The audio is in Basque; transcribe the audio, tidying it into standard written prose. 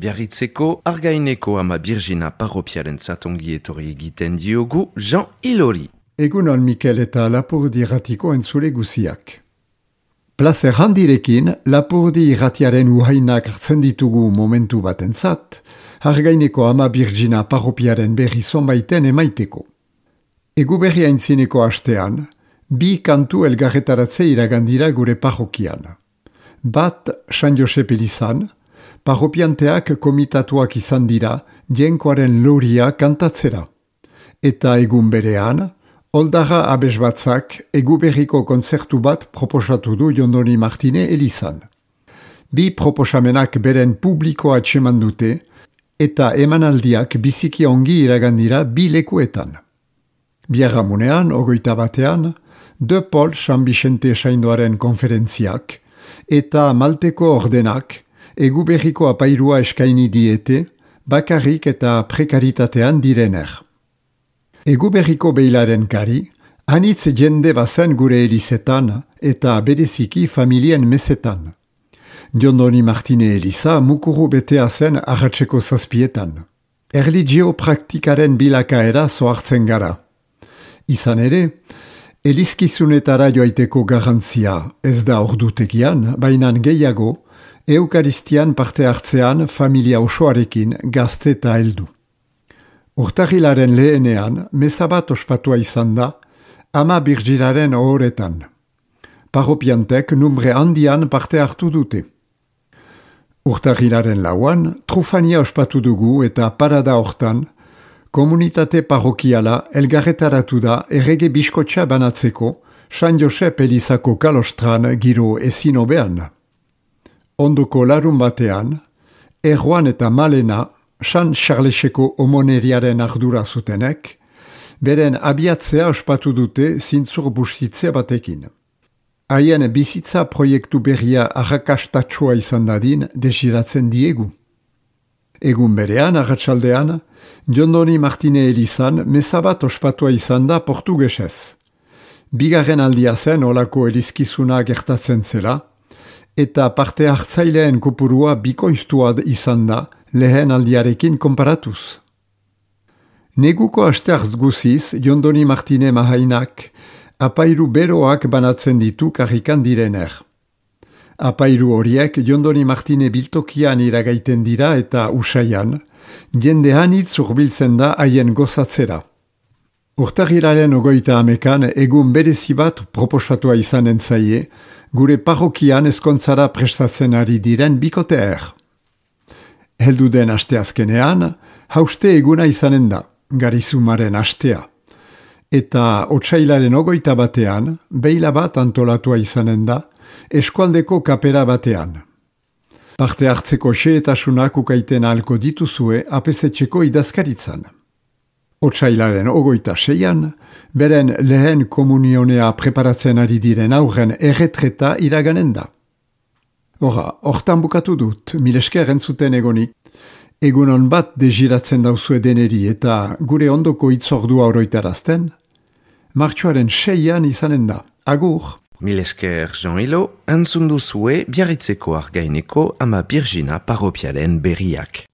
Biarritzeko Argaineko ama Birjina parropiaren zatongi etorri egiten diogu Jean Ilori. Egunon Mikel eta Lapurdi irratiko entzule guziak. Plazer handirekin Lapurdi irratiaren uhainak hartzen ditugu momentu batentzat, Argaineko ama Birjina parropiaren berri zonbaiten emaiteko. Egu berri aintzineko hastean, bi kantu elgarretaratze iragandira gure parrokian. Bat San Josep elizan, parropianteak komitatuak izan dira jenkoaren loria kantatzera. Eta egun berean, Oldara abesbatzak eguberriko kontzertu bat proposatu du Jondoni Martine elizan. Bi proposamenak beren publikoa atseman dute eta emanaldiak biziki ongi iragandira bi lekuetan. Biarramunean, 21, De Paul San Vicente Saindoaren konferentziak eta Malteko ordenak eguberriko apairua eskaini diete bakarrik eta prekaritatean direner. Eguberriko beilaren kari, anitz jende bazen gure elizetan eta bereziki familien mesetan. Jondoni Martine eliza mukuru betea zen arratseko zazpietan. Erlijio praktikaren bilakaera zoartzen gara. Izan ere, elizkizunetara joaiteko garantzia ez da ordutegian, baina gehiago, Eukaristian parte hartzean familia osoarekin gazte eta heldu. Urtarrilaren lehenean, meza bat ospatua izan da, ama Birjinaren ohoretan. Parropiantek numbre handian parte hartu dute. Urtarrilaren lauan, trufania ospatu dugu eta parada hortan, komunitate parrokiala elgarretaratu da errege biskotxa banatzeko San Josep elizako kalostran giro ezin hobean. Ondoko larun batean, Erroan eta Malena, San Charleseko omoneriaren ardura zutenek, beren abiatzea ospatu dute zintzur bustitze batekin. Haien bizitza proiektu berria arrakastatsua izan dadin desiratzen diegu. Egun berean, arratsaldean, Jondoni Martine elizan meza bat ospatua izan da portugesez. Bigarren aldia zen olako elizkizuna gertatzen zela, eta parte hartzaileen kopurua bikoiztua izan da lehen aldiarekin konparatuz. Neguko asteartz guziz, Jondoni Martine mahainak apairu beroak banatzen ditu karrikan direner. Apairu horiek Jondoni Martine biltokian iragaiten dira eta usaian, jende hanitz urbiltzen da haien gozatzera. Urtarrilaren 21 egun berezi bat proposatua izan entzaie, gure parrokian ezkontzara prestatzen ari diren bikoteer. Heldu den asteazkenean, hauste eguna izanen da, garizumaren astea. Eta otsailaren 21 beila bat antolatua izanen da, eskualdeko kapera batean. Parte hartzeko xehetasunak ukaiten ahalko dituzue apesetxeko idazkaritzan. Otsailaren 26 beren lehen komunionea preparatzen ari diren aurren erretreta iraganen da. Hortan bukatu dut, milesker entzuten egonik. Egunon bat desiratzen dauzue deneri eta gure ondoko itzordua oroitarazten, martxoaren 6 izanen da. Agur! Milesker Jean Ilo, entzun duzue Biarritzeko Argaineko ama Birjina parropiaren berriak.